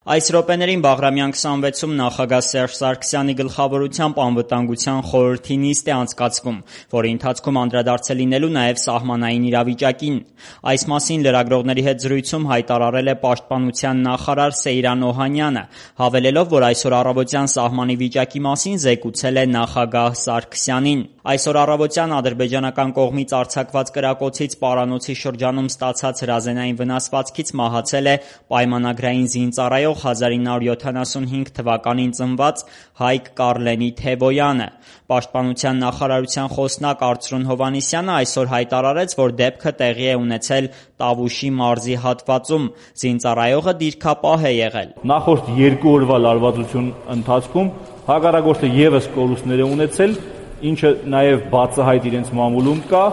Այս րոպեներին Բաղրամյան 26-ում նախագահ Սերժ Սարգսյանի գլխավորությամբ անվտանգության խորհրդի նիստ է անցկացվում, որի ընթացքում անդրադարձ է լինելու նաև սահմանային իրավիճակին։ Այս մասին լրագրողների հետ զրույցում հայտարարել է Պաշտպանության նախարար Սեյրան Օհանյանը, հավելելով, որ այսօր առավոտյան սահմանի վիճակի մասին զեկուցել է նախագահ Սարգսյանին։ Այսօր առավոտյան ադրբեջանական կողմից արձակված կրակոցից Պարանոցի շրջանում ստացած հրազենային վնասվածքից մահացել է պայմանագրային զինծառայող 1975 թվականին ծնված Հայկ Կառլենի Թևոյանը։ Պաշտպանության նախարարության խոսնակ Արծրուն Հովհաննիսյանը այսօր հայտարարեց, որ դեպքը տեղի է ունեցել Տավուշի մարզի հատվածում։ Զինծառայողը դիրքապահ է եղել։ Նախորդ 2 օրվա լարվածության ընթացքում հակառակորդը ևս կորուստներ է ունեցել, ինչը նաև բացահայտ իրենց մամուլում կա,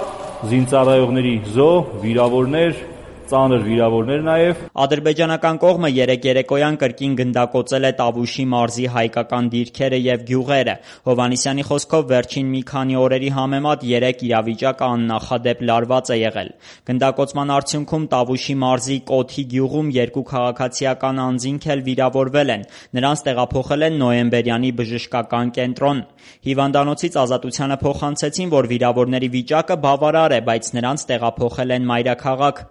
զինծառայողների զոհ, վիրավորներ, ծանր վիրավորներ նաև։ Ադրբեջանական կողմը երեկոյան կրկին գնդակոծել է Տավուշի մարզի հայկական դիրքերը և գյուղերը։ Հովհաննիսյանի խոսքով վերջին մի քանի օրերի համեմատ 3 իրավիճակը աննախադեպ լարված է եղել։ Գնդակոծման արդյունքում Տավուշի մարզի Կոթի գյուղում 2 քաղաքացիական անձինք էլ վիրավորվել են։ Նրանց տեղափոխել են նոյեմբերյանի բժշկական կենտրոն։ Հիվանդանոցից Ազատությանը փոխանցեցին, որ վիրավորների վիճակը բավարար է, բայց նրանց տեղափոխել են մայրաքաղաք։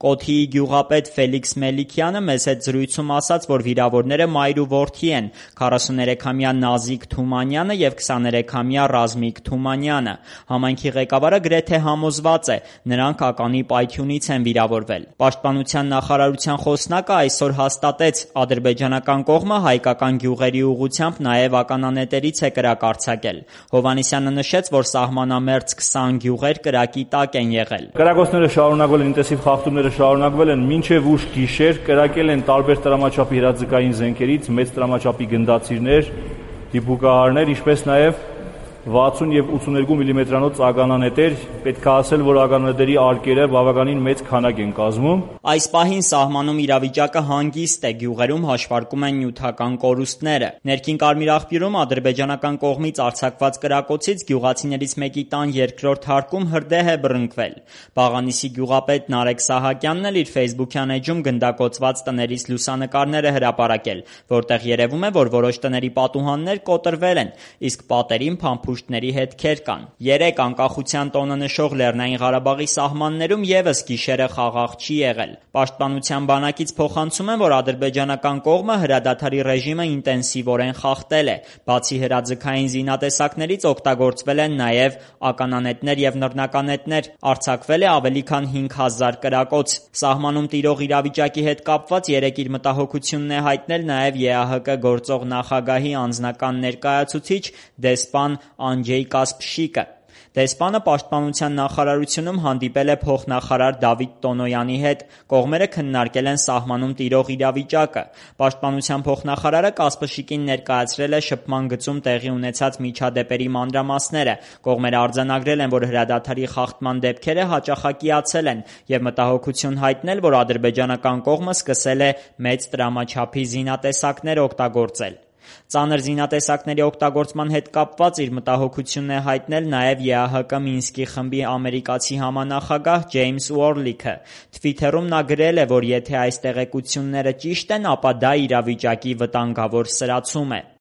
Կոթիի գյուղապետ Ֆելիքս Մելիքյանը մեզ հետ զրույցում ասաց, որ վիրավորները մայր ու որդի են՝ 43-ամյա Նազիկ Թումանյանը և 23-ամյա Ռազմիկ Թումանյանը։ Համայնքի ղեկավարը գրեթե համոզված է՝ նրանք ականի պայթյունից են վիրավորվել։ Պաշտպանության նախարարության խոսնակը այսօր հաստատեց՝ ադրբեջանական կողմը հայկական գյուղերի ուղղությամբ նաև ականանետերից է կրակ արձակել։ Հովհաննիսյանը նշեց, որ սահմանամերձ 20 գյուղեր կրակի տակ են եղել։ Կրակոցները շարունակվել են, ինտենսիվ խախտումները շարունակվել են մինչև ուշ գիշեր, կրակել են տարբեր տրամաչափի հրաձգային զենքերից մեծ տրամաչափի գնդացիրներ, դիպուկահարներ, ինչպես նաև 60 և 82 մմ-անոց ականանետեր, պետք է ասել, որ ականանետերի արկերը բավականին մեծ քանակ են կազմում։ Այս պահին սահմանում իրավիճակը հանգիստ է, գյուղերում հաշվարկում են նյութական կորուստները։ Ներքին Կարմիր աղբյուրում ադրբեջանական կողմից արձակված կրակոցից գյուղացիներից մեկի տան երկրորդ հարկում հրդեհ է բռնկվել։ Բաղանիսի գյուղապետ Նարեկ Սահակյանն էլ իր ֆեյսբուքյան էջում գնդակոծված տներից լուսանկարներ է հրապարակել, որտեղ երևում է, որ որոշ տների պատուհաններ կոտրվել են, իսկ պատերին փամփուշտների հետքեր կան։ 3 անկախության տոնը նշող Լեռնային Ղարաբաղի սահմաններում ևս գիշերը խաղաղ չի եղել։ Պաշտպանության բանակից փոխանցում են, որ ադրբեջանական կողմը հրադադարի ռեժիմը ինտենսիվորեն խախտել է։ Բացի հրաձգային զինատեսակներից օգտագործվել են նաև ականանետներ և նռնականետներ։ Արձակվել է ավելի քան 5000 կրակոց։ Սահմանում տիրող իրավիճակի հետ կապված երեկ իր մտահոգությունն է հայտնել նաև ԵԱՀԿ գործող նախագահի անձնական ներկայացուցիչ դեսպան Անջեյ Կասպշիկը։ Դեսպանը Պաշտպանության նախարարությունում հանդիպել է փոխնախարար Դավիթ Տոնոյանի հետ։ Կողմերը քննարկել են սահմանում տիրող իրավիճակը։ Պաշտպանության փոխնախարարը Կասպշիկին ներկայացրել է շփման գծում տեղի ունեցած միջադեպերի մանրամասները։ Կողմերը արձանագրել են, որ հրադադարի խախտման դեպքերը հաճախակիացել են և մտահոգություն հայտնել, որ ադրբեջանական կողմը սկսել է մեծ տրամաչափի զինատեսակներ օգտագործել։ Ծանր զինատեսակների օգտագործման հետ կապված իր մտահոգությունն է հայտնել նաև ԵԱՀԿ Մինսկի խմբի ամերիկացի համանախագահ Ջեյմս Ուորլիքը։ Թվիթերում նա գրել է, որ եթե այս տեղեկությունները ճիշտ են, ապա դա իրավիճակի վտանգավոր սրացում է։